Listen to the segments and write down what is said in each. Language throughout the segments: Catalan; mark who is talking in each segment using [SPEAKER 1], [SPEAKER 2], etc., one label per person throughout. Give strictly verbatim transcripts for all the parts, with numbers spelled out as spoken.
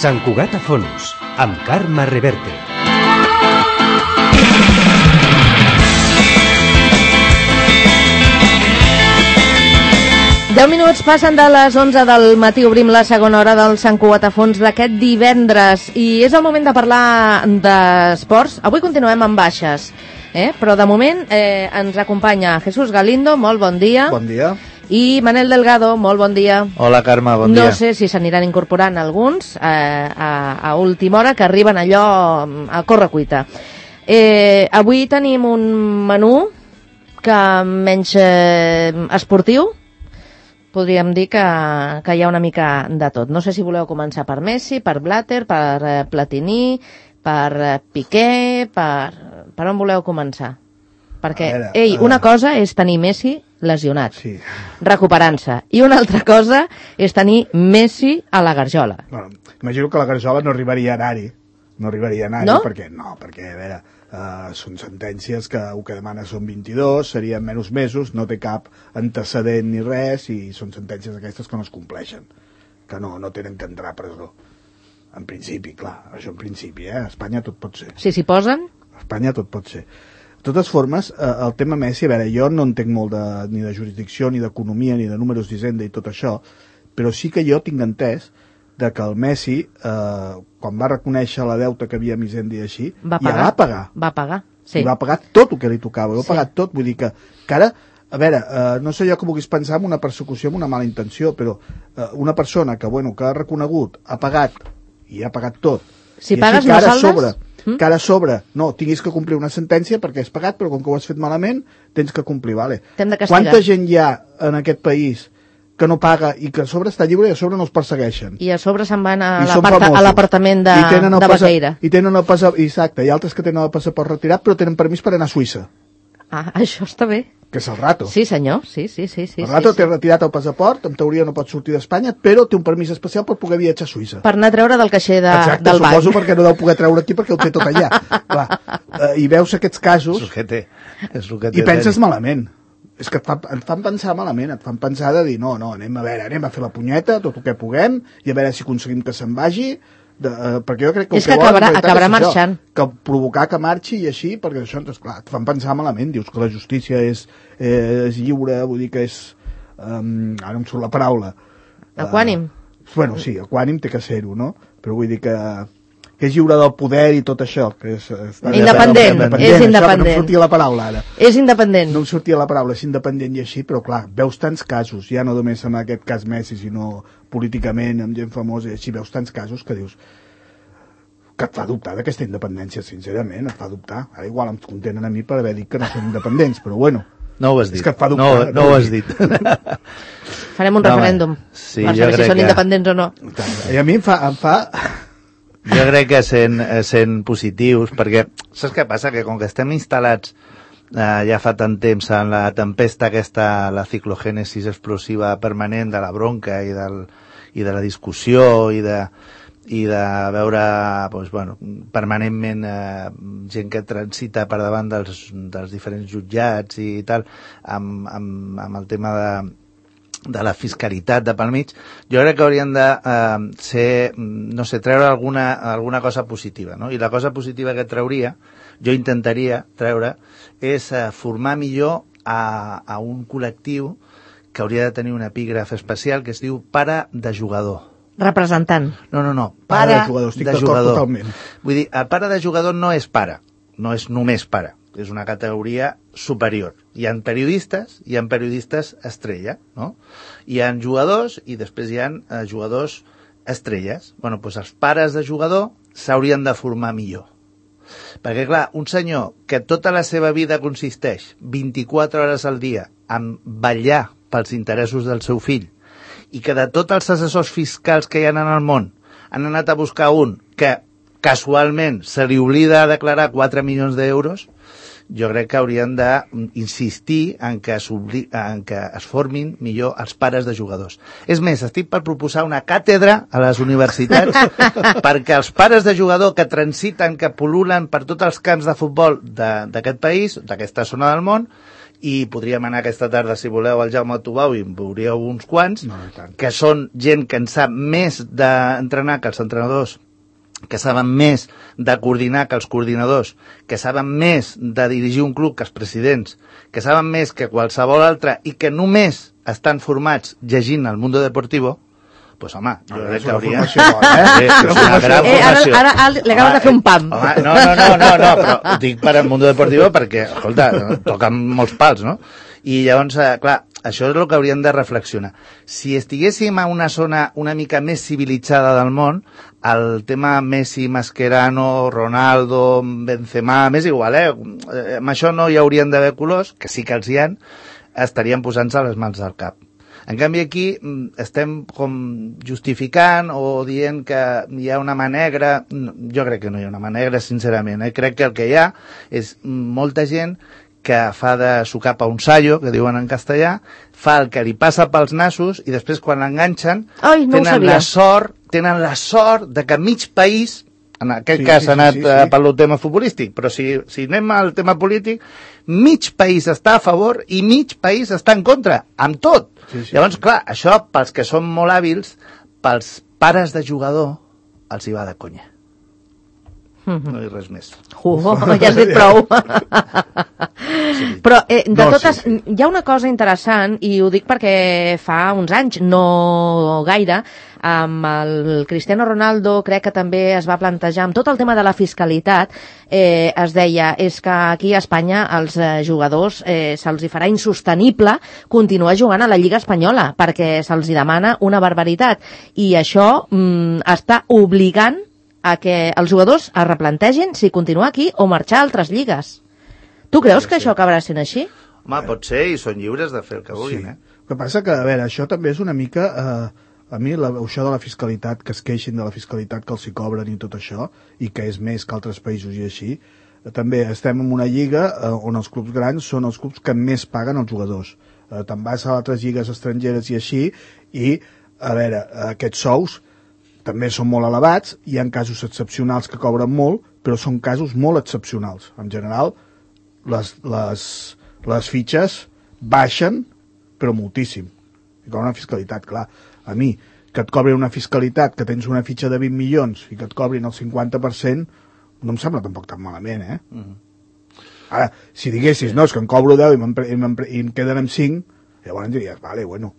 [SPEAKER 1] Sant Cugat a fons, amb Carme Reverte.
[SPEAKER 2] deu minuts passen de les onze del matí, obrim la segona hora del Sant Cugat a fons d'aquest divendres i és el moment de parlar d'esports. Avui continuem amb baixes, eh? però de moment eh, ens acompanya Jesús Galindo, molt bon dia.
[SPEAKER 3] Bon dia.
[SPEAKER 2] I Manel Delgado, molt bon dia.
[SPEAKER 4] Hola Carme, bon dia.
[SPEAKER 2] No sé si s'aniran incorporant alguns eh, a, a última hora, que arriben allò a correcuita. Eh, avui tenim un menú que menys eh, esportiu, podríem dir que, que hi ha una mica de tot. No sé si voleu començar per Messi, per Blatter, per eh, Platini, per eh, Piqué, per... per on voleu començar? Perquè, veure, ei, una uh... cosa és tenir Messi lesionat, sí. recuperant-se, i una altra cosa és tenir Messi a la garjola.
[SPEAKER 3] Bueno, imagino que la garjola no arribaria a anar-hi, no arribaria a anar-hi,
[SPEAKER 2] no?
[SPEAKER 3] perquè, no, perquè, a veure, uh, són sentències que el que demana són vint-i-dos, serien menys mesos, no té cap antecedent ni res, i són sentències aquestes que no es compleixen, que no, no tenen que entrar a presó. En principi, clar, això en principi, eh? A Espanya tot pot ser.
[SPEAKER 2] Si s'hi posen?
[SPEAKER 3] A Espanya tot pot ser. De totes formes, eh, el tema Messi, a veure, jo no entenc molt de, ni de jurisdicció, ni d'economia, ni de números d'Hisenda i tot això, però sí que jo tinc entès de que el Messi, eh, quan va reconèixer la deuta que havia amb Hisenda i així,
[SPEAKER 2] va pagar.
[SPEAKER 3] ja va pagar.
[SPEAKER 2] Va pagar, sí.
[SPEAKER 3] I va pagar tot el que li tocava, ho ha
[SPEAKER 2] sí.
[SPEAKER 3] pagat tot, vull dir que, que ara, a veure, eh, no sé jo que vulguis pensar en una persecució amb una mala intenció, però eh, una persona que, bueno, que ha reconegut, ha pagat, i ha pagat tot,
[SPEAKER 2] si
[SPEAKER 3] i
[SPEAKER 2] pagues
[SPEAKER 3] així que
[SPEAKER 2] no
[SPEAKER 3] ara
[SPEAKER 2] saldes...
[SPEAKER 3] sobre, Mm? que ara sobre, no, tinguis que complir una sentència perquè has pagat, però com que ho has fet malament tens que complir, vale.
[SPEAKER 2] T'hem de castigar.
[SPEAKER 3] Quanta gent hi ha en aquest país que no paga i que a sobre està lliure i a sobre no els persegueixen?
[SPEAKER 2] I a sobre se'n van a l'apartament de, de Baqueira.
[SPEAKER 3] I tenen el passaport, exacte, hi ha altres que tenen el passaport retirat però tenen permís per anar a Suïssa.
[SPEAKER 2] Ah, això està bé.
[SPEAKER 3] Que és el rato.
[SPEAKER 2] Sí, senyor, sí, sí, sí. sí
[SPEAKER 3] el rato
[SPEAKER 2] sí,
[SPEAKER 3] té
[SPEAKER 2] sí.
[SPEAKER 3] retirat el passaport, en teoria no pot sortir d'Espanya, però té un permís especial per poder viatjar a Suïssa.
[SPEAKER 2] Per anar a treure del caixer de,
[SPEAKER 3] Exacte,
[SPEAKER 2] del banc.
[SPEAKER 3] Exacte, suposo perquè no deu poder treure aquí perquè ho té tot allà. Clar, eh, i veus aquests casos...
[SPEAKER 4] És el que té. És el que té
[SPEAKER 3] I penses malament. És que et fan, et fan pensar malament, et fan pensar de dir, no, no, anem a veure, anem a fer la punyeta, tot el que puguem, i a veure si aconseguim que se'n vagi... De, uh, perquè jo crec que
[SPEAKER 2] és que, que acabarà, acabarà marxant
[SPEAKER 3] això, que provocar que marxi i així, perquè això, doncs, clar, et fan pensar malament, dius que la justícia és, eh, és lliure, vull dir que és um, ara em surt la paraula
[SPEAKER 2] equànim,
[SPEAKER 3] uh, bueno, sí, equànim té que ser-ho, no? Però vull dir que, que és lliure del poder i tot això, que és
[SPEAKER 2] independent, independent, independent, és independent,
[SPEAKER 3] això, no em sortia la paraula ara
[SPEAKER 2] és independent,
[SPEAKER 3] no em sortia la paraula, és independent i així, però clar, veus tants casos, ja no només en aquest cas Messi, sinó políticament, amb gent famosa i així, veus tants casos que dius que et fa dubtar d'aquesta independència, sincerament, et fa dubtar. Ara igual em contenen a mi per haver dit que no són independents, però bueno.
[SPEAKER 4] No ho has dit.
[SPEAKER 3] És que et fa dubtar.
[SPEAKER 4] No, no ho has dit.
[SPEAKER 2] Farem un no, referèndum sí, per saber si són que... independents o no.
[SPEAKER 3] I a mi em fa... Em fa...
[SPEAKER 4] Jo crec que sent, sent positius, perquè saps què passa? Que com que estem instal·lats eh, ja fa tant temps en la tempesta aquesta, la ciclogènesis explosiva permanent de la bronca i, del, i de la discussió i de, i de veure doncs, bueno, permanentment eh, gent que transita per davant dels, dels diferents jutjats i tal, amb, amb, amb el tema de de la fiscalitat de pel mig, jo crec que haurien de eh, ser, no sé, treure alguna, alguna cosa positiva, no? I la cosa positiva que trauria, jo intentaria treure, és eh, formar millor a, a un col·lectiu que hauria de tenir un epígraf especial que es diu pare de jugador.
[SPEAKER 2] Representant.
[SPEAKER 4] No, no, no.
[SPEAKER 3] Pare, pare de jugador, estic
[SPEAKER 4] de jugador.
[SPEAKER 3] Totalment.
[SPEAKER 4] Vull dir, el pare de jugador no és pare, no és només pare. És una categoria superior. Hi ha periodistes, hi ha periodistes estrella, no? Hi ha jugadors i després hi ha eh, jugadors estrelles. Bueno, doncs els pares de jugador s'haurien de formar millor. Perquè, clar, un senyor que tota la seva vida consisteix vint-i-quatre hores al dia en vetllar pels interessos del seu fill i que de tots els assessors fiscals que hi ha en el món han anat a buscar un que casualment se li oblida declarar quatre milions d'euros, jo crec que haurien d'insistir en, en que es formin millor els pares de jugadors. És més, estic per proposar una càtedra a les universitats perquè els pares de jugador que transiten, que pol·lulen per tots els camps de futbol d'aquest país, d'aquesta zona del món, i podríem anar aquesta tarda, si voleu, al Jaume Tubau i en veuríeu uns quants,
[SPEAKER 3] No, i tant.
[SPEAKER 4] que són gent que en sap més d'entrenar que els entrenadors, que saben més de coordinar que els coordinadors, que saben més de dirigir un club que els presidents, que saben més que qualsevol altre i que només estan formats llegint el Mundo Deportivo, pues home, jo
[SPEAKER 3] Ah,
[SPEAKER 4] crec
[SPEAKER 3] és
[SPEAKER 4] que
[SPEAKER 3] una
[SPEAKER 4] hauria...
[SPEAKER 3] formació, eh?
[SPEAKER 4] Sí, és una gran
[SPEAKER 2] Eh, ara,
[SPEAKER 4] formació.
[SPEAKER 2] ara, ara li acabes de fer un pam.
[SPEAKER 4] Home, no, no, no, no, no, però ho dic per al Mundo Deportivo perquè, escolta, toquen molts pals, no? I llavors, eh, clar, això és el que hauríem de reflexionar. Si estiguéssim a una zona una mica més civilitzada del món, el tema Messi, Mascherano, Ronaldo, Benzema, m'és igual, eh? Amb això no hi haurien d'haver colors, que sí que els hi han, estarien posant-se les mans al cap. En canvi aquí estem com justificant o dient que hi ha una mà negra. Jo crec que no hi ha una mà negra, sincerament. Eh? Crec que el que hi ha és molta gent que fa de su capa un sallo, que diuen en castellà, fa el que li passa pels nassos i després quan l'enganxen
[SPEAKER 2] Ai, no ho
[SPEAKER 4] tenen
[SPEAKER 2] sabia.
[SPEAKER 4] la sort, tenen la sort de que mig país, en aquest
[SPEAKER 3] Sí,
[SPEAKER 4] cas
[SPEAKER 3] sí,
[SPEAKER 4] s'ha
[SPEAKER 3] sí,
[SPEAKER 4] anat
[SPEAKER 3] sí,
[SPEAKER 4] sí, sí.
[SPEAKER 3] sí.
[SPEAKER 4] pel tema futbolístic, però si, si anem al tema polític, mig país està a favor i mig país està en contra, amb tot.
[SPEAKER 3] Sí, sí,
[SPEAKER 4] Llavors,
[SPEAKER 3] sí.
[SPEAKER 4] clar, això, pels que són molt hàbils, pels pares de jugador, els hi va de conya. No hi res més.
[SPEAKER 2] Uh, ja has dit prou. Però eh, de
[SPEAKER 3] No,
[SPEAKER 2] totes,
[SPEAKER 3] sí, sí.
[SPEAKER 2] hi ha una cosa interessant, i ho dic perquè fa uns anys, no gaire, amb el Cristiano Ronaldo crec que també es va plantejar amb tot el tema de la fiscalitat, eh, es deia, és que aquí a Espanya els eh, jugadors eh, se'ls hi farà insostenible continuar jugant a la Lliga Espanyola, perquè se'ls hi demana una barbaritat, i això mm, està obligant a que els jugadors es replantegin si continuar aquí o marxar a altres lligues. Tu creus que això acabarà sent així?
[SPEAKER 4] Home, pot ser, i són lliures de fer el que vulguin,
[SPEAKER 3] Sí.
[SPEAKER 4] eh?
[SPEAKER 3] El que passa que, a veure, això també és una mica... Eh, a mi, la, això de la fiscalitat, que es queixin de la fiscalitat que els hi cobren i tot això, i que és més que altres països i així, eh, també estem en una lliga eh, on els clubs grans són els clubs que més paguen els jugadors. Eh, Te'n vas a altres lligues estrangeres i així, i, a veure, aquests sous també són molt elevats, hi ha casos excepcionals que cobren molt, però són casos molt excepcionals. En general, les, les, les fitxes baixen, però moltíssim. I cobren una fiscalitat, clar. A mi, que et cobrin una fiscalitat, que tens una fitxa de vint milions i que et cobrin el cinquanta per cent, no em sembla tampoc tan malament, eh? Mm-hmm. Ara, si diguessis, no, és que en cobro deu i, i, i em queden amb cinc, llavors diries, vale, bueno.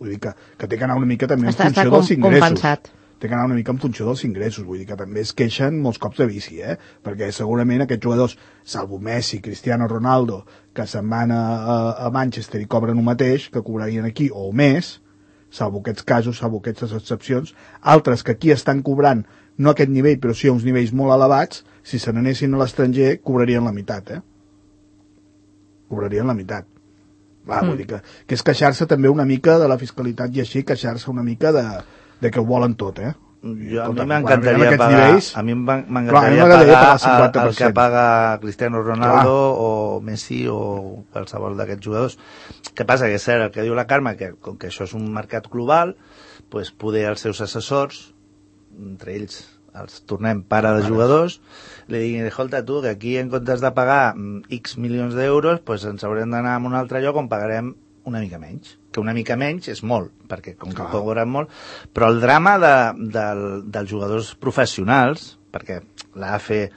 [SPEAKER 3] Vull dir que, que té que anar una mica també en
[SPEAKER 2] Està,
[SPEAKER 3] funció
[SPEAKER 2] està com,
[SPEAKER 3] dels ingressos.
[SPEAKER 2] compensat.
[SPEAKER 3] Té que anar una mica en funció dels ingressos, vull dir que també es queixen molts cops de bici, eh? Perquè segurament aquests jugadors, salvo Messi, Cristiano Ronaldo, que se'n van a, a, a Manchester i cobren el mateix que cobrarien aquí, o més, salvo aquests casos, salvo aquestes excepcions, altres que aquí estan cobrant, no a aquest nivell, però sí a uns nivells molt elevats, si se n'anessin a l'estranger, cobrarien la meitat, eh? Cobrarien la meitat. Va, mm. vull dir que, que és queixar-se també una mica de la fiscalitat i així, queixar-se una mica de, de que ho volen tot, eh?
[SPEAKER 4] Jo, a
[SPEAKER 3] Escolta,
[SPEAKER 4] mi m'encantaria
[SPEAKER 3] quan arribem a aquests
[SPEAKER 4] pagar,
[SPEAKER 3] nivells-
[SPEAKER 4] a mi
[SPEAKER 3] Clar, a mi
[SPEAKER 4] m'encantaria
[SPEAKER 3] m'agradaria
[SPEAKER 4] pagar
[SPEAKER 3] pagar el cinquanta per
[SPEAKER 4] el, el que
[SPEAKER 3] cent.
[SPEAKER 4] paga Cristiano Ronaldo o Messi o qualsevol d'aquests jugadors. Què passa? Que és cert el que diu la Carme, que com que això és un mercat global, pues, poder els seus assessors, entre ells els tornem pare de jugadors, li diguin, escolta tu, que aquí en comptes de pagar X milions d'euros, pues ens haurem d'anar a un altre lloc on pagarem una mica menys. Que una mica menys és molt, perquè com que cobren molt, però el drama de, de, dels jugadors professionals, perquè l'A F eh,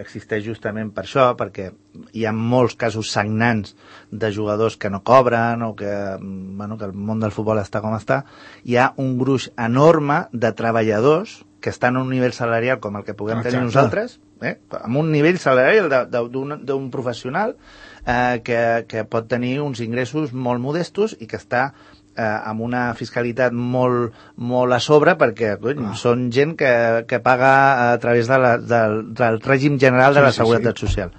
[SPEAKER 4] existeix justament per això, perquè hi ha molts casos sagnants de jugadors que no cobren o que, bueno, que el món del futbol està com està, hi ha un gruix enorme de treballadors que estan a un nivell salarial com el que puguem
[SPEAKER 3] Exacte.
[SPEAKER 4] tenir nosaltres, eh? amb un nivell salarial d'un professional eh, que, que pot tenir uns ingressos molt modestos i que està eh, amb una fiscalitat molt, molt a sobre perquè cony,
[SPEAKER 3] Ah.
[SPEAKER 4] són gent que, que paga a través de la, del, del règim general de
[SPEAKER 3] Sí,
[SPEAKER 4] la
[SPEAKER 3] sí,
[SPEAKER 4] Seguretat
[SPEAKER 3] sí.
[SPEAKER 4] Social.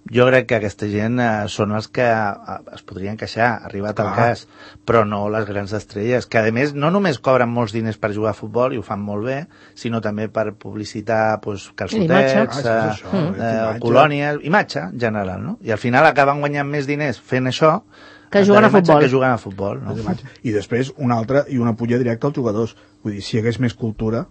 [SPEAKER 4] Jo crec que aquesta gent eh, són els que eh, es podrien queixar, arribat al
[SPEAKER 3] Clar.
[SPEAKER 4] cas, però no les grans estrelles, que a més no només cobren molts diners per jugar a futbol i ho fan molt bé, sinó també per publicitar pues,
[SPEAKER 2] Imatge.
[SPEAKER 4] calçotets,
[SPEAKER 3] Ah,
[SPEAKER 4] eh,
[SPEAKER 3] és això,
[SPEAKER 4] eh,
[SPEAKER 3] és imatge.
[SPEAKER 4] colònies, imatge en general, no? I al final acaben guanyant més diners fent això
[SPEAKER 2] Que jugant a
[SPEAKER 4] imatge
[SPEAKER 2] futbol.
[SPEAKER 4] que jugant a futbol, no?
[SPEAKER 3] I després una altra i una pulla directa als jugadors. Vull dir, si hi hagués més cultura,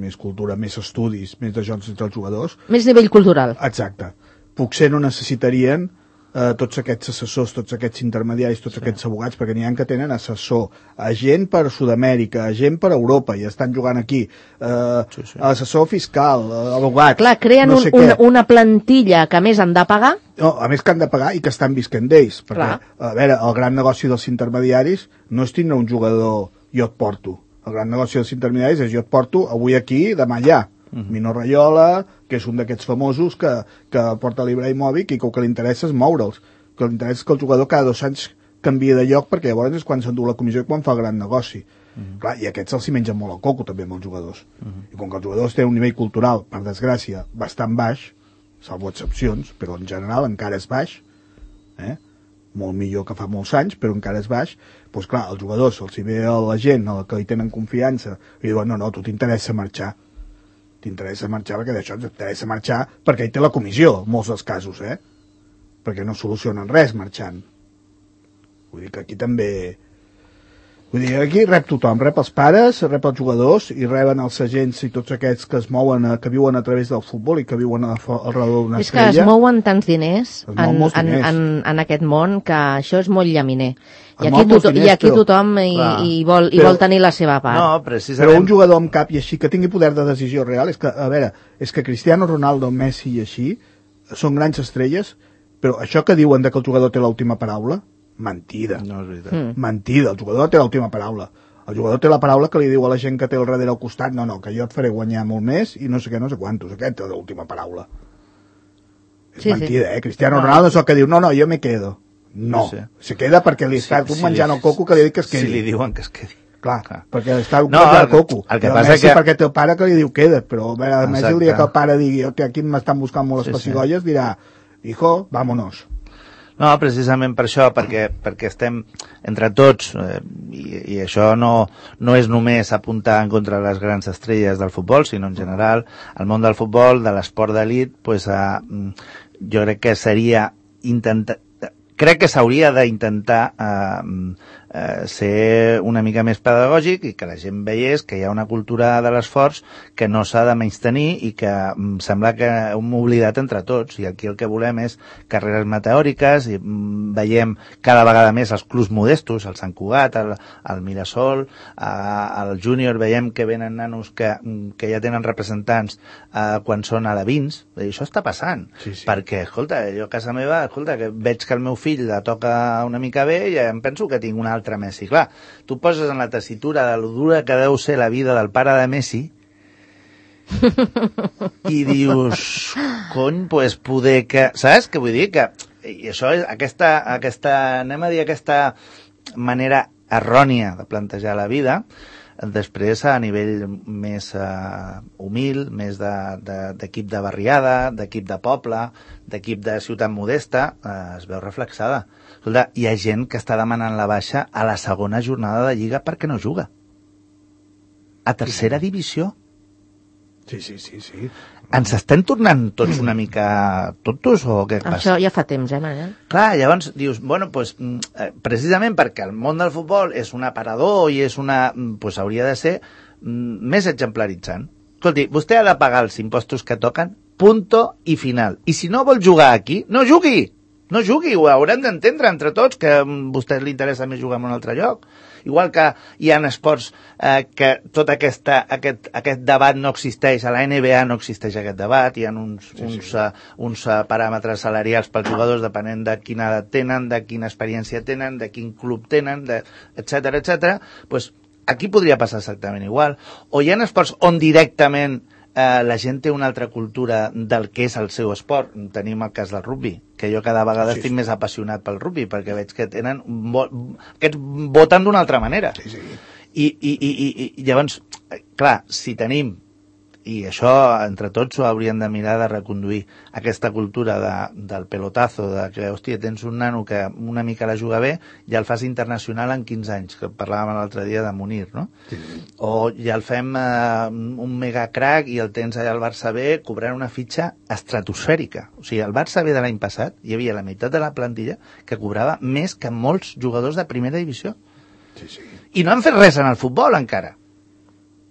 [SPEAKER 3] més cultura, més estudis, més de jocs entre els jugadors,
[SPEAKER 2] Més nivell cultural.
[SPEAKER 3] exacte, potser no necessitarien eh, tots aquests assessors, tots aquests intermediaris, tots sí. aquests abogats, perquè n'hi ha que tenen assessor, agent per Sud-amèrica, agent per Europa, i estan jugant aquí, eh, sí, sí. assessor fiscal, abogat...
[SPEAKER 2] Clar, creen
[SPEAKER 3] no
[SPEAKER 2] un,
[SPEAKER 3] sé
[SPEAKER 2] una, una plantilla que a més han de pagar.
[SPEAKER 3] No, a més que han de pagar i que estan visquent d'ells, perquè, Clar. a veure, el gran negoci dels intermediaris no és tindre un jugador jo et porto. El gran negoci dels intermediaris és jo et porto avui aquí, demà allà. Uh-huh. Mino Raiola, que és un d'aquests famosos que, que porta l'Ibrahimovic i que el que li interessa és moure'ls, que li interessa que el jugador cada dos anys canvia de lloc, perquè llavors és quan s'endú la comissió i quan fa el gran negoci. Uh-huh. Clar, i aquests els hi mengen molt el coco també amb els jugadors. Uh-huh. I com que els jugadors tenen un nivell cultural, per desgràcia, bastant baix, salvo excepcions, però en general encara és baix, eh? molt millor que fa molts anys, però encara és baix, doncs clar, els jugadors, els hi ve la gent a la que hi tenen confiança, i diuen, no, no, tu t'interessa marxar. T'interessa marxar perquè d'això t'interessa marxar perquè hi té la comissió, en molts dels casos, eh? Perquè no solucionen res marxant. Vull dir que aquí també... Vull dir, aquí rep tothom, rep els pares, rep els jugadors i reben els agents i tots aquests que es mouen, a, que viuen a través del futbol i que viuen a, a, al redor d'una estrella.
[SPEAKER 2] És que es mouen tants diners,
[SPEAKER 3] en,
[SPEAKER 2] diners. En, en, en aquest món que això és molt llaminer. I aquí, to diners, i aquí
[SPEAKER 3] però,
[SPEAKER 2] tothom i, i, vol, i
[SPEAKER 3] però,
[SPEAKER 2] vol tenir la seva part.
[SPEAKER 4] No, precisament...
[SPEAKER 3] Però un jugador amb cap i així, que tingui poder de decisió real, és que, a veure, és que Cristiano Ronaldo, Messi i així són grans estrelles, però això que diuen de que el jugador té l'última paraula, mentida.
[SPEAKER 4] No és veritat.
[SPEAKER 2] Mm.
[SPEAKER 3] Mentida, el jugador té l'última paraula. El jugador té la paraula que li diu a la gent que té al darrere al costat, no, no, que jo et faré guanyar molt més i no sé què, no sé quantos. Aquesta és l'última paraula. És
[SPEAKER 2] sí,
[SPEAKER 3] mentida,
[SPEAKER 2] sí.
[SPEAKER 3] eh? Cristiano Ronaldo és el que diu, no, no, jo me quedo. No,
[SPEAKER 4] sí.
[SPEAKER 3] se queda perquè li està sí, menjant sí, el coco que li diu que es quedi.
[SPEAKER 4] Si li diuen que es quedi.
[SPEAKER 3] Clar, Clar. perquè està
[SPEAKER 4] no,
[SPEAKER 3] menjant el coco.
[SPEAKER 4] El que
[SPEAKER 3] I
[SPEAKER 4] passa
[SPEAKER 3] Messi
[SPEAKER 4] que...
[SPEAKER 3] perquè té el pare que li diu queda, però a veure, Messi el dia que el pare digui, aquí m'estan buscant molt les
[SPEAKER 4] sí,
[SPEAKER 3] pessigolles, sí. dirà, hijo, vámonos.
[SPEAKER 4] No, precisament per això, perquè, perquè estem entre tots, eh, i, i això no, no és només apuntar en contra de les grans estrelles del futbol, sinó en general, el món del futbol, de l'esport d'elit, pues, eh, jo crec que seria intentar... Crec que s'hauria d'intentar eh, eh, ser una mica més pedagògic i que la gent veiés que hi ha una cultura de l'esforç que no s'ha de menystenir i que mm, sembla que hem oblidat entre tots. I aquí el que volem és carreres meteòriques i mm, veiem cada vegada més els clubs modestos, el Sant Cugat, el, el Mirasol, eh, el Júnior, veiem que venen nanos que, que ja tenen representants eh, quan són alevins. I això està passant.
[SPEAKER 3] Sí, sí.
[SPEAKER 4] Perquè, escolta, jo a casa meva, escolta, que veig que el meu fill la toca una mica bé i em penso que tinc un altre Messi. Clar, tu poses en la tessitura de lo dura que deu ser la vida del pare de Messi i dius, cony, pues poder que... Saps què vull dir? Que, i això és aquesta, aquesta, anem a dir, aquesta manera errònia de plantejar la vida, després a nivell més uh, humil, més d'equip de, de, de barriada, d'equip de poble, d'equip de ciutat modesta, uh, es veu reflexada. Escolta, hi ha gent que està demanant la baixa a la segona jornada de Lliga perquè no juga. A tercera divisió.
[SPEAKER 3] Sí, sí, sí, sí.
[SPEAKER 4] Ens estem tornant tots una mica tontos o què passa?
[SPEAKER 2] Això ja fa temps, eh, Manel?
[SPEAKER 4] Clar, llavors dius, bueno, pues, precisament perquè el món del futbol és un aparador i és una... pues hauria de ser més exemplaritzant. Escolti, vostè ha de pagar els impostos que toquen, punto i final. I si no vol jugar aquí, no jugui! No jugui, ho haurem d'entendre entre tots, que a vostè li interessa més jugar en un altre lloc. Igual que hi ha esports eh, que tot aquesta, aquest, aquest debat no existeix, a la N B A no existeix aquest debat, hi ha uns, sí, uns, sí. Uh, uns uh, paràmetres salarials pels jugadors depenent de quina edat tenen, de quina experiència tenen, de quin club tenen, de, etcètera, etcètera. Pues aquí podria passar exactament igual. O hi ha esports on directament eh, la gent té una altra cultura del que és el seu esport. Tenim el cas del rugby, que jo cada vegada sí, estic sí. més apassionat pel rugby, perquè veig que tenen vo aquests voten d'una altra manera.
[SPEAKER 3] Sí, sí.
[SPEAKER 4] I, i, i, i, i llavors, clar, si tenim, i això entre tots ho hauríem de mirar de reconduir, aquesta cultura de, del pelotazo, de que, hòstia, tens un nano que una mica la juga bé, ja el fas internacional en quinze anys, que parlàvem l'altre dia de Munir, no? Sí. O ja el fem eh, un mega crack i el tens allà al Barça B cobrant una fitxa estratosfèrica. O sigui, al Barça B de l'any passat hi havia la meitat de la plantilla que cobrava més que molts jugadors de primera divisió.
[SPEAKER 3] Sí, sí.
[SPEAKER 4] I no han fet res en el futbol encara.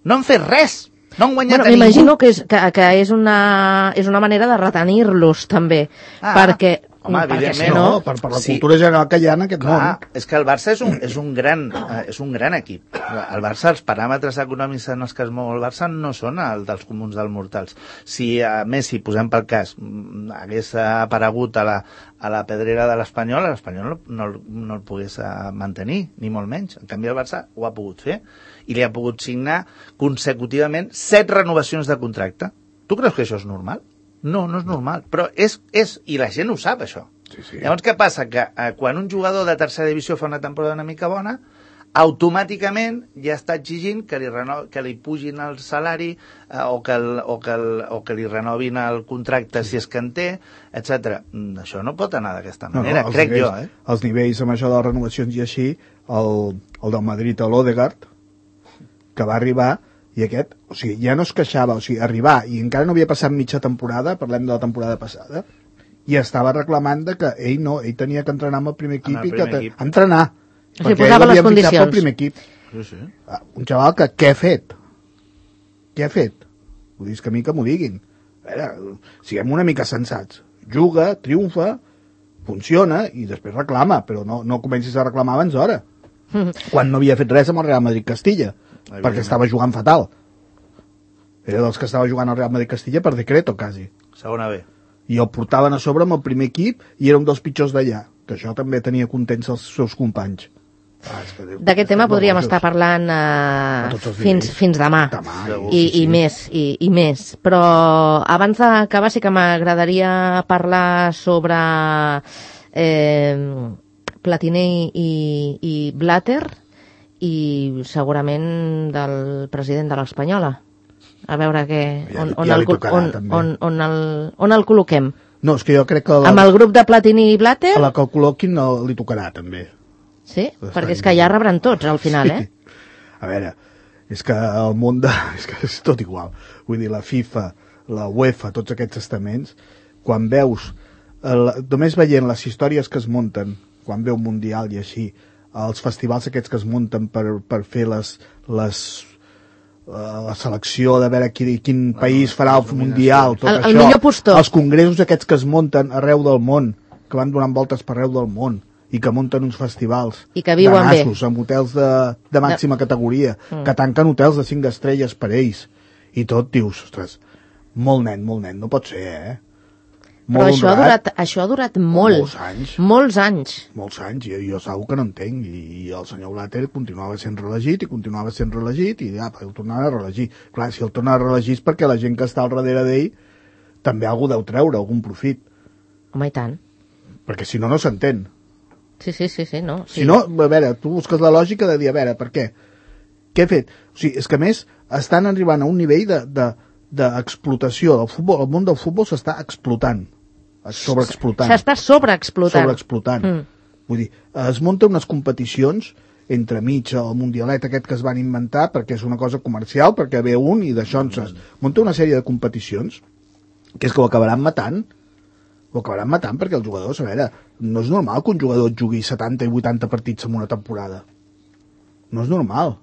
[SPEAKER 4] No han fet res. No han guanyat
[SPEAKER 2] bueno, m'imagino que, és, que, que és, una, és una manera de retenir-los també, ah. perquè
[SPEAKER 4] Home,
[SPEAKER 2] perquè
[SPEAKER 4] evidentment,
[SPEAKER 2] si no...
[SPEAKER 3] No, per, per la cultura general que hi ha en aquest
[SPEAKER 4] Clar,
[SPEAKER 3] món.
[SPEAKER 4] és que el Barça és un, és un, gran, eh, és un gran equip. El Barça, els paràmetres econòmics en els que es mou el Barça no són els dels comuns dels mortals. Si a Messi, posem pel cas, mm, hagués aparegut a la, a la pedrera de l'Espanyol, l'Espanyol no, no, no el pogués eh, mantenir, ni molt menys. En canvi, el Barça ho ha pogut fer i li ha pogut signar consecutivament set renovacions de contracte. Tu creus que això és normal? No, no és normal, però és, és, i la gent ho sap, això.
[SPEAKER 3] Sí, sí.
[SPEAKER 4] Llavors, què passa? Que eh, quan un jugador de tercera divisió fa una temporada una mica bona, automàticament ja està exigint que li, reno... que li pugin el salari eh, o, que el, o, que el, o que li renovin el contracte si és que en té, etcètera. Això no pot anar d'aquesta manera, no, no, crec
[SPEAKER 3] nivells,
[SPEAKER 4] jo. Eh?
[SPEAKER 3] Els nivells amb això de les renovacions i així, el, el del Madrid, l'Odegaard, que va arribar, i aquest, o sigui, ja no es queixava, o sigui, arribar, i encara no havia passat mitja temporada, parlem de la temporada passada, i estava reclamant de que ell no, ell tenia que entrenar amb el primer equip,
[SPEAKER 4] el
[SPEAKER 3] i que
[SPEAKER 4] primer equip.
[SPEAKER 3] entrenar,
[SPEAKER 2] O sigui,
[SPEAKER 3] perquè
[SPEAKER 2] posava
[SPEAKER 3] ell
[SPEAKER 2] les
[SPEAKER 3] l'havien fitxat pel
[SPEAKER 2] condicions.
[SPEAKER 3] primer equip.
[SPEAKER 4] Sí, sí.
[SPEAKER 3] Ah, un xaval que què ha fet? Què ha fet? Vull dir, és que a mi que m'ho diguin. A veure, siguem una mica sensats. Juga, triomfa, funciona, i després reclama, però no, no comencis a reclamar abans d'hora. Quan no havia fet res amb el Real Madrid-Castilla, perquè estava jugant fatal. Era dels que estava jugant al Real Madrid-Castilla per decreto, quasi.
[SPEAKER 4] Segona B.
[SPEAKER 3] I el portaven a sobre amb el primer equip i era un dels pitjors d'allà, que això també tenia contents els seus companys. Ah, és que Déu,
[SPEAKER 2] D'aquest
[SPEAKER 3] estem
[SPEAKER 2] tema podríem
[SPEAKER 3] nerviosos.
[SPEAKER 2] estar parlant eh,
[SPEAKER 3] A tots els
[SPEAKER 2] fins,
[SPEAKER 3] nivells.
[SPEAKER 2] fins demà.
[SPEAKER 3] Demà,
[SPEAKER 4] Segur.
[SPEAKER 2] I,
[SPEAKER 3] sí, sí.
[SPEAKER 2] i més, i, i més. Però abans d'acabar sí que m'agradaria parlar sobre eh, Platini i, i Blatter i segurament del president de l'Espanyola. A veure què,
[SPEAKER 3] Ja-
[SPEAKER 2] on, on,
[SPEAKER 3] ja
[SPEAKER 2] el,
[SPEAKER 3] li tocarà,
[SPEAKER 2] on,
[SPEAKER 3] també.
[SPEAKER 2] on, on, el, on el col·loquem.
[SPEAKER 3] No, és que jo crec que la,
[SPEAKER 2] Amb el grup de Platini i Blatter?
[SPEAKER 3] a la que el col·loquin no, li tocarà, també.
[SPEAKER 2] Sí,
[SPEAKER 3] Està
[SPEAKER 2] perquè és
[SPEAKER 3] bé.
[SPEAKER 2] que ja rebran tots al final, eh?
[SPEAKER 3] A veure, és que el món de... és que és tot igual. Vull dir, la FIFA, la UEFA, tots aquests estaments, quan veus, el, només veient les històries que es munten, quan veu Mundial i així, els festivals aquests que es munten per, per fer les, les, la selecció de veure quin, quin país farà el Mundial, tot
[SPEAKER 2] El- el
[SPEAKER 3] això,
[SPEAKER 2] millor postor.
[SPEAKER 3] els congressos aquests que es munten arreu del món, que van donant voltes per arreu del món, i que munten uns festivals
[SPEAKER 2] I que viuen
[SPEAKER 3] de
[SPEAKER 2] bé.
[SPEAKER 3] nassos, amb hotels de, de màxima categoria,
[SPEAKER 2] Mm.
[SPEAKER 3] que tanquen hotels de cinc estrelles per ells, i tot dius, ostres, molt nen, molt nen, no pot ser, eh?
[SPEAKER 2] Però
[SPEAKER 3] Molt
[SPEAKER 2] això ha,
[SPEAKER 3] honrat,
[SPEAKER 2] durat, això ha durat molt.
[SPEAKER 3] Molts anys.
[SPEAKER 2] Molts anys.
[SPEAKER 3] molts anys, i jo segur que no entenc, i, i el senyor Blatter continuava sent reelegit, i continuava sent reelegit, i ja, el tornava a reelegir. Clar, si el torna a reelegir és perquè la gent que està al darrere d'ell també algú deu treure, algun profit,
[SPEAKER 2] Home, i tant.
[SPEAKER 3] perquè si no, no s'entén.
[SPEAKER 2] Sí, sí, sí, sí, no. Sí.
[SPEAKER 3] Si no, a veure, tu busques la lògica de dir, a veure, per què? Què he fet? O sigui, és que a més estan arribant a un nivell de, de, d'explotació del futbol, el món del futbol s'està explotant, sobreexplotant.
[SPEAKER 2] S'està sobreexplotant.
[SPEAKER 3] Sobreexplotant.
[SPEAKER 2] Mm.
[SPEAKER 3] Vull dir, es munten unes competicions entre mig el mundialet aquest que es van inventar perquè és una cosa comercial, perquè ve un i d'això ens es munta una sèrie de competicions que és que ho acabaran matant, ho acabaran matant perquè els jugadors, a veure, no és normal que un jugador jugui setanta i vuitanta partits en una temporada. No és normal.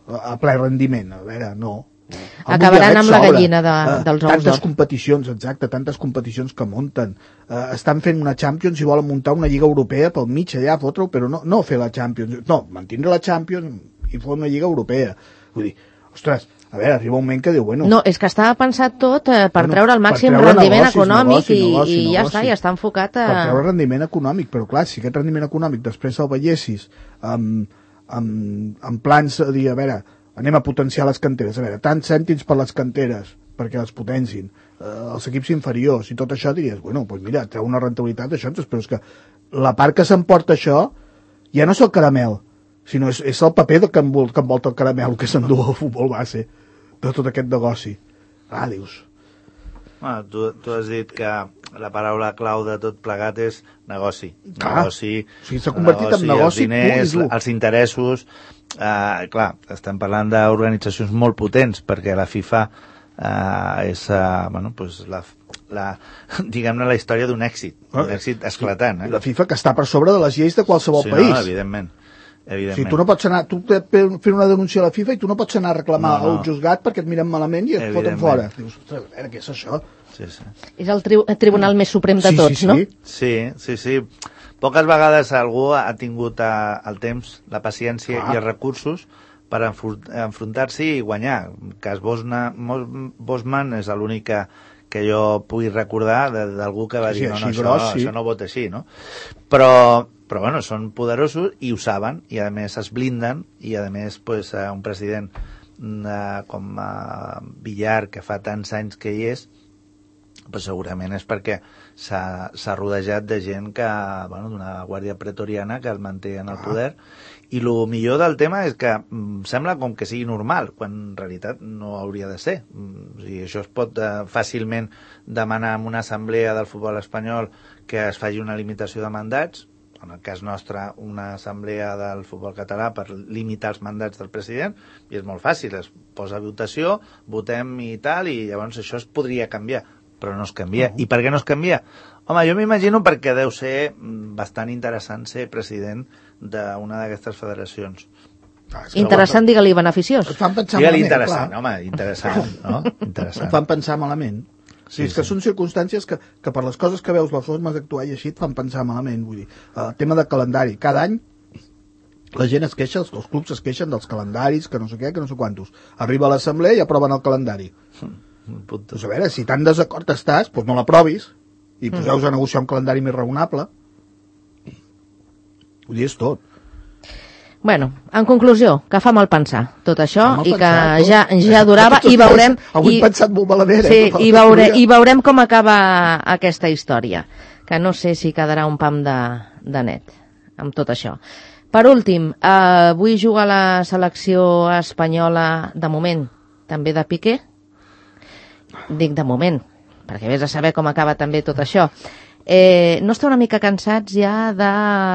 [SPEAKER 3] A, a ple rendiment, a veure, no. El
[SPEAKER 2] Acabaran
[SPEAKER 3] mundialet
[SPEAKER 2] amb la
[SPEAKER 3] s'obre.
[SPEAKER 2] gallina de,
[SPEAKER 3] Eh,
[SPEAKER 2] dels ous
[SPEAKER 3] tantes
[SPEAKER 2] d'or.
[SPEAKER 3] competicions, exacte, tantes competicions que munten. Uh, estan fent una Champions i volen muntar una Lliga Europea pel mig allà, fotre-ho, però no, no fer la Champions. No, mantindre la Champions i fer una Lliga Europea. Vull dir, ostres, a veure, arriba un moment que diu, bueno...
[SPEAKER 2] No, és que estava pensat tot eh, per
[SPEAKER 3] Bueno,
[SPEAKER 2] treure el
[SPEAKER 3] per
[SPEAKER 2] màxim
[SPEAKER 3] treure
[SPEAKER 2] rendiment
[SPEAKER 3] negocis,
[SPEAKER 2] econòmic
[SPEAKER 3] negoci,
[SPEAKER 2] i,
[SPEAKER 3] negoci,
[SPEAKER 2] i ja
[SPEAKER 3] negoci.
[SPEAKER 2] està, ja està enfocat a...
[SPEAKER 3] Per treure rendiment econòmic, però clar, si aquest rendiment econòmic després el veiessis amb, amb, amb plans a dir, a veure, anem a potenciar les canteres, a veure, tants cèntims per les canteres, perquè les potencin, eh, els equips inferiors i tot això, diries, bueno, doncs mira, treu una rentabilitat d'això, però és que la part que s'emporta això ja no és el caramel, sinó és, és el paper que, envol, que envolta el caramel que s'endú el futbol base de tot aquest negoci. Ah, dius...
[SPEAKER 4] Bueno, tu, tu has dit que la paraula clau de tot plegat és negoci.
[SPEAKER 3] Clar.
[SPEAKER 4] Negoci,
[SPEAKER 3] O sigui, s'ha convertit en negoci
[SPEAKER 4] els diners,
[SPEAKER 3] pur i dur.
[SPEAKER 4] els interessos. Uh, clar, estem parlant d'organitzacions molt potents, perquè la FIFA uh, és uh, bueno, pues la, la, diguem-ne la història d'un èxit, un èxit esclatant. Eh?
[SPEAKER 3] La FIFA que està per sobre de les lleis de qualsevol
[SPEAKER 4] sí,
[SPEAKER 3] país.
[SPEAKER 4] no, evidentment. evidentment.
[SPEAKER 3] O sigui, tu no pots anar, tu fent una denúncia a la FIFA i tu no pots anar a reclamar
[SPEAKER 4] No, no.
[SPEAKER 3] al juzgat perquè et miren malament i et foten
[SPEAKER 4] Evidentment.
[SPEAKER 3] fora. Dius, ostres, a veure, què és això?
[SPEAKER 4] sí, sí.
[SPEAKER 2] És el, tri el tribunal més suprem de
[SPEAKER 3] Sí,
[SPEAKER 2] tots,
[SPEAKER 3] sí,
[SPEAKER 2] no?
[SPEAKER 3] sí.
[SPEAKER 4] Sí, sí, sí. Poques vegades algú ha tingut eh, el temps, la paciència
[SPEAKER 3] Clar.
[SPEAKER 4] i els recursos per enfrontar-s'hi i guanyar. El cas Bosna, Bosman és l'únic que, que jo pugui recordar d'algú que va
[SPEAKER 3] Sí,
[SPEAKER 4] dir no, no,
[SPEAKER 3] així
[SPEAKER 4] això,
[SPEAKER 3] gros, sí.
[SPEAKER 4] això no vota així, no? Però, però bueno, són poderosos i ho saben, i a més es blinden, i a més pues, un president eh, com eh, Villar, que fa tants anys que hi és, pues segurament és perquè s'ha rodejat de gent que, bueno, d'una guàrdia pretoriana que el manté en el poder, i el millor del tema és que mm, sembla com que sigui normal, quan en realitat no hauria de ser. Mm, o sigui, això es pot eh, fàcilment demanar en una assemblea del futbol espanyol que es faci una limitació de mandats, en el cas nostre una assemblea del futbol català per limitar els mandats del president, i és molt fàcil, es posa a votació, votem i tal, i llavors això es podria canviar, però no es canvia. Uh -huh. I per què no es canvia? Home, jo m'imagino perquè deu ser bastant interessant ser president d'una d'aquestes federacions.
[SPEAKER 3] Ah, és que
[SPEAKER 2] Interessant, digue-li beneficiós.
[SPEAKER 3] Et fan pensar
[SPEAKER 4] Digue-li
[SPEAKER 3] malament,
[SPEAKER 4] interessant,
[SPEAKER 3] clar.
[SPEAKER 4] home, interessant, no? Interessant.
[SPEAKER 3] Et fan pensar malament. Sí,
[SPEAKER 4] Sí,
[SPEAKER 3] és que
[SPEAKER 4] sí.
[SPEAKER 3] són circumstàncies que, que per les coses que veus, les formes d'actuar i així, et fan pensar malament. Vull dir, el tema de calendari. Cada any la gent es queixa, els, els clubs es queixen dels calendaris, que no sé què, que no sé quantos. Arriba a l'assemblea i aproven el calendari.
[SPEAKER 4] Puto.
[SPEAKER 3] Doncs a veure, si tan desacord estàs, doncs no l'aprovis i poseu-vos a negociar un calendari més raonable. Vull dir, és tot.
[SPEAKER 2] Bueno, en conclusió, que fa mal pensar tot això
[SPEAKER 3] Fa mal
[SPEAKER 2] i que
[SPEAKER 3] pensar, tot.
[SPEAKER 2] ja, ja durava i veurem...
[SPEAKER 3] Avui
[SPEAKER 2] i,
[SPEAKER 3] he pensat molt malament,
[SPEAKER 2] sí,
[SPEAKER 3] eh?
[SPEAKER 2] i, veure, i veurem com acaba aquesta història, que no sé si quedarà un pam de, de net amb tot això. Per últim, eh, avui juga la selecció espanyola de moment, també de Piqué. Dic de moment, perquè vés a saber com acaba també tot això. Eh, no està una mica cansats ja de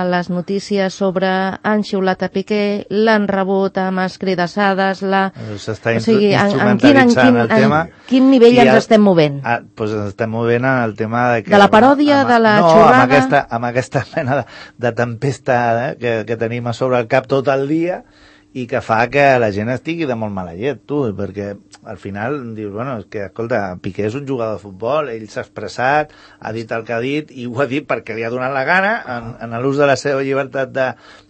[SPEAKER 2] les notícies sobre han xiulat a Piqué, l'han rebut amb escridassades, la...
[SPEAKER 4] S'està
[SPEAKER 2] o sigui, en, en, quin, en,
[SPEAKER 4] instrumentalitzant
[SPEAKER 2] quin,
[SPEAKER 4] el tema.
[SPEAKER 2] en quin nivell
[SPEAKER 4] I
[SPEAKER 2] ens
[SPEAKER 4] el-
[SPEAKER 2] estem movent?
[SPEAKER 4] Ah, doncs ens estem movent en el tema de que...
[SPEAKER 2] De la paròdia,
[SPEAKER 4] amb-
[SPEAKER 2] de la
[SPEAKER 4] no,
[SPEAKER 2] xorrada?
[SPEAKER 4] amb aquesta, amb aquesta mena de, de tempesta eh, que, que tenim a sobre el cap tot el dia i que fa que la gent estigui de molt mala llet, tu, perquè al final dius, bueno, és que, escolta, Piqué és un jugador de futbol, ell s'ha expressat, ha dit el que ha dit, i ho ha dit perquè li ha donat la gana, en, en l'ús de la seva llibertat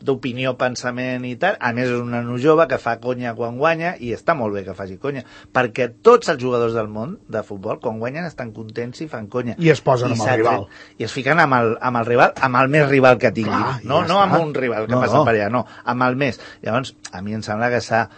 [SPEAKER 4] d'opinió, pensament i tal. A més, és un nano jove que fa conya quan guanya, i està molt bé que faci conya, perquè tots els jugadors del món de futbol, quan guanyen, estan contents i fan conya.
[SPEAKER 3] I es posen amb el
[SPEAKER 4] s'ha
[SPEAKER 3] rival.
[SPEAKER 4] tret- I es fiquen amb el, amb el rival, amb el més rival que tinguin.
[SPEAKER 3] Clar,
[SPEAKER 4] no,
[SPEAKER 3] ja
[SPEAKER 4] no
[SPEAKER 3] està.
[SPEAKER 4] amb un rival que
[SPEAKER 3] No,
[SPEAKER 4] passa
[SPEAKER 3] no.
[SPEAKER 4] per allà, no, amb el més. Llavors, a mi em sembla que s'ha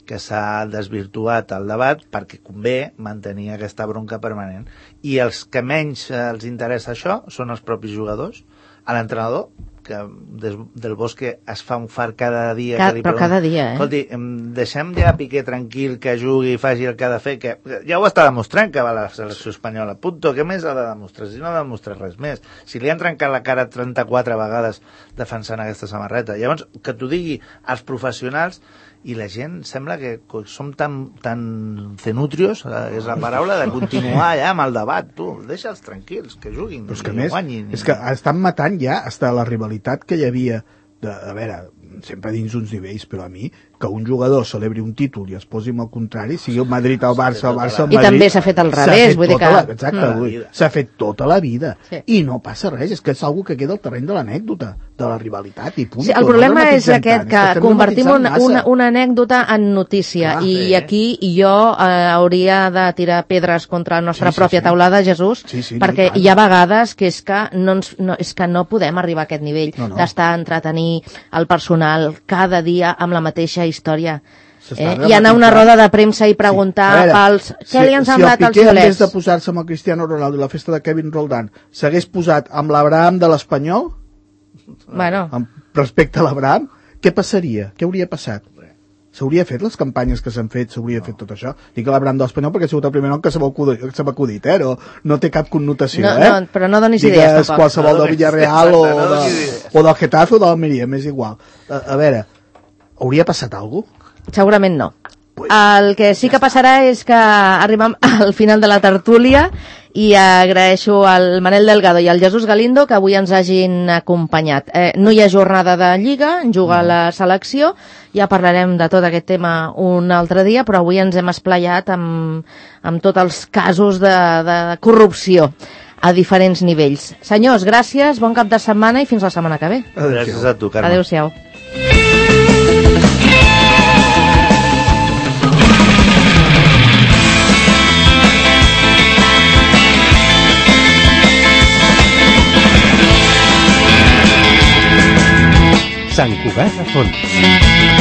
[SPEAKER 4] que s'ha desvirtuat el debat perquè convé mantenir aquesta bronca permanent. I els que menys eh, els interessa això són els propis jugadors, a l'entrenador, que des del Bosque es fa un far cada dia.
[SPEAKER 2] Ca-
[SPEAKER 4] que li
[SPEAKER 2] però
[SPEAKER 4] pregunta,
[SPEAKER 2] cada dia, eh?
[SPEAKER 4] Escolti, em, deixem ja Piqué tranquil, que jugui i faci el que ha de fer, que ja ho està demostrant que va a la selecció espanyola. Punto, què més ha de demostrar? Si no ha de demostrar res més. Si li han trencat la cara trenta-quatre vegades defensant aquesta samarreta. Llavors, que t'ho digui als professionals, i la gent sembla que som tan, tan cenutrios, eh, és la paraula, de continuar ja amb el debat. Tu, deixa'ls tranquils, que juguin,
[SPEAKER 3] Però és que
[SPEAKER 4] i
[SPEAKER 3] més,
[SPEAKER 4] guanyin.
[SPEAKER 3] és que estan matant ja hasta la rivalitat que hi havia de, a veure, sempre dins uns nivells, però a mi, que un jugador celebri un títol i es posi amb el contrari, sigui el Madrid al Barça, el Barça al
[SPEAKER 2] I
[SPEAKER 3] Madrid...
[SPEAKER 2] també s'ha fet al
[SPEAKER 3] s'ha
[SPEAKER 2] revés,
[SPEAKER 3] fet
[SPEAKER 2] vull dir
[SPEAKER 3] tota
[SPEAKER 2] que-
[SPEAKER 3] la- Exacte,
[SPEAKER 4] Mm.
[SPEAKER 3] vull dir, s'ha fet tota la vida.
[SPEAKER 2] Sí.
[SPEAKER 3] I no passa res, és que és algo que queda al terreny de l'anècdota, de la rivalitat, i punt.
[SPEAKER 2] Sí, el
[SPEAKER 3] No
[SPEAKER 2] problema és
[SPEAKER 3] dramatitzem
[SPEAKER 2] aquest,
[SPEAKER 3] tant,
[SPEAKER 2] que
[SPEAKER 3] és estem
[SPEAKER 2] convertim
[SPEAKER 3] dramatitzant
[SPEAKER 2] una,
[SPEAKER 3] massa.
[SPEAKER 2] una, una anècdota en notícia.
[SPEAKER 3] Clar,
[SPEAKER 2] I
[SPEAKER 4] sí.
[SPEAKER 2] aquí jo eh, hauria de tirar pedres contra la nostra
[SPEAKER 3] Sí, sí,
[SPEAKER 2] pròpia
[SPEAKER 3] sí.
[SPEAKER 2] taulada, Jesús,
[SPEAKER 3] Sí, sí,
[SPEAKER 2] perquè
[SPEAKER 3] no, i tant.
[SPEAKER 2] hi ha vegades que és que no, ens, no, és que no podem arribar a aquest nivell
[SPEAKER 3] No, no.
[SPEAKER 2] d'estar a entretenir el personal cada dia amb la mateixa història.
[SPEAKER 3] S'està
[SPEAKER 2] Eh? I anar a una
[SPEAKER 3] dramatitzant.
[SPEAKER 2] roda de premsa i preguntar
[SPEAKER 3] Sí. A veure,
[SPEAKER 2] pels... Què li han semblat
[SPEAKER 3] si el
[SPEAKER 2] als
[SPEAKER 3] Piqué, en vez
[SPEAKER 2] violets?
[SPEAKER 3] de posar-se amb el Cristiano Ronaldo i la festa de Kevin Roldán, s'hagués posat amb l'Abraham de l'Espanyol,
[SPEAKER 2] Bueno,
[SPEAKER 3] amb respecte a l'Abraham, què passaria? Què hauria passat? S'hauria fet les campanyes que s'han fet, s'hauria fet tot això. Dic l'Abraham de l'Espanyol perquè ha sigut el primer nom que se m'ha acudit, que se m'ha acudit, eh? No, no té cap connotació,
[SPEAKER 2] No,
[SPEAKER 3] eh?
[SPEAKER 2] no, però no donis
[SPEAKER 3] Digues
[SPEAKER 2] idees, tampoc.
[SPEAKER 3] qualsevol
[SPEAKER 4] No
[SPEAKER 3] del
[SPEAKER 4] donis-
[SPEAKER 3] Villarreal o,
[SPEAKER 4] exacte, no
[SPEAKER 3] de,
[SPEAKER 4] donis idees.
[SPEAKER 3] o del Getafe o de l'Almeria, m'és igual. A, a veure, hauria passat alguna cosa?
[SPEAKER 2] segurament no.
[SPEAKER 3] Pues,
[SPEAKER 2] El que sí que passarà és que arribem al final de la tertúlia i agraeixo al Manel Delgado i al Jesús Galindo que avui ens hagin acompanyat. Eh, no hi ha jornada de Lliga, juga la selecció, ja parlarem de tot aquest tema un altre dia, però avui ens hem esplayat amb, amb tots els casos de, de corrupció a diferents nivells. Senyors, gràcies, bon cap de setmana i fins la setmana que ve.
[SPEAKER 4] Gràcies a tu, Carme.
[SPEAKER 2] Adéu-siau.
[SPEAKER 1] Sant Cugat a Fons.